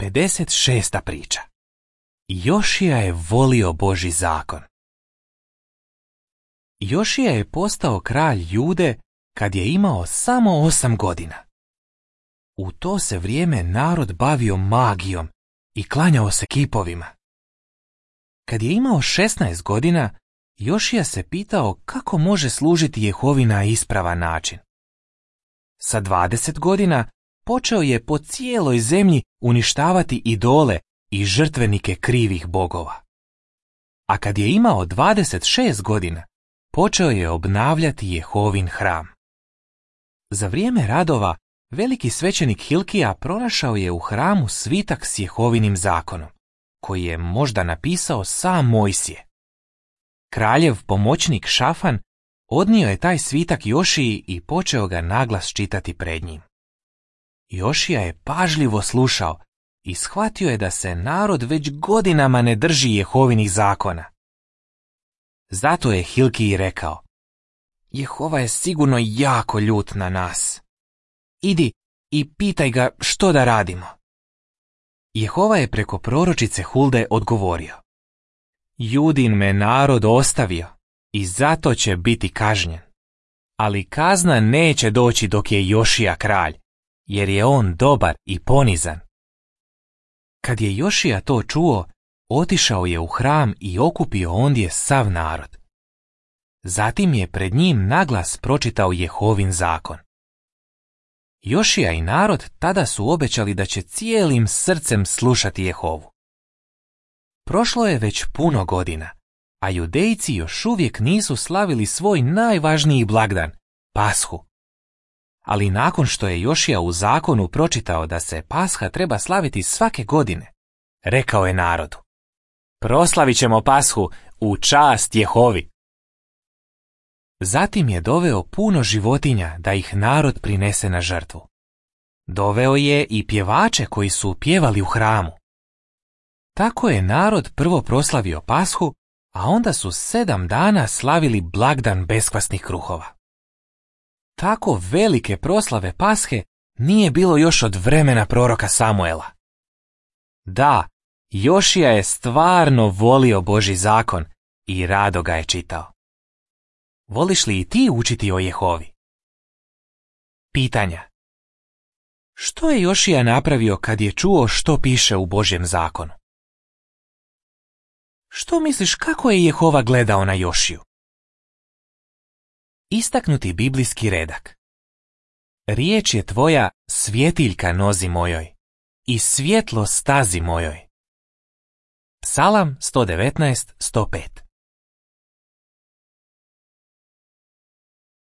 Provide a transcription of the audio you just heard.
56. priča. Jošija je volio Božji zakon. Jošija je postao kralj Jude kad je imao samo 8 godina. U to se vrijeme narod bavio magijom i klanjao se kipovima. Kad je imao 16 godina, Jošija se pitao kako može služiti Jehovi na ispravan način. Sa 20 godina počeo je po cijeloj zemlji uništavati idole i žrtvenike krivih bogova. A kad je imao 26 godina, počeo je obnavljati Jehovin hram. Za vrijeme radova, veliki svećenik Hilkija pronašao je u hramu svitak s Jehovinim zakonom, koji je možda napisao sam Mojsije. Kraljev pomoćnik Šafan odnio je taj svitak Jošiji i počeo ga naglas čitati pred njim. Jošija je pažljivo slušao i shvatio je da se narod već godinama ne drži Jehovinih zakona. Zato je Hilkiji rekao: Jehova je sigurno jako ljut na nas. Idi i pitaj ga što da radimo. Jehova je preko proročice Hulde odgovorio: Judin me narod ostavio i zato će biti kažnjen. Ali kazna neće doći dok je Jošija kralj, jer je on dobar i ponizan. Kad je Jošija to čuo, otišao je u hram i okupio ondje sav narod. Zatim je pred njim naglas pročitao Jehovin zakon. Jošija i narod tada su obećali da će cijelim srcem slušati Jehovu. Prošlo je već puno godina, a Judejci još uvijek nisu slavili svoj najvažniji blagdan, Pashu. Ali nakon što je Jošija u zakonu pročitao da se Pasha treba slaviti svake godine, rekao je narodu: Proslavit ćemo Pashu u čast Jehovi. Zatim je doveo puno životinja da ih narod prinese na žrtvu. Doveo je i pjevače koji su pjevali u hramu. Tako je narod prvo proslavio Pashu, a onda su 7 dana slavili blagdan beskvasnih kruhova. Tako velike proslave Pashe nije bilo još od vremena proroka Samuela. Da, Jošija je stvarno volio Božji zakon i rado ga je čitao. Voliš li i ti učiti o Jehovi? Pitanja. Što je Jošija napravio kad je čuo što piše u Božjem zakonu? Što misliš kako je Jehova gledao na Jošiju? Istaknuti biblijski redak. Riječ je tvoja svjetiljka nozi mojoj i svjetlo stazi mojoj. Psalam 119:105.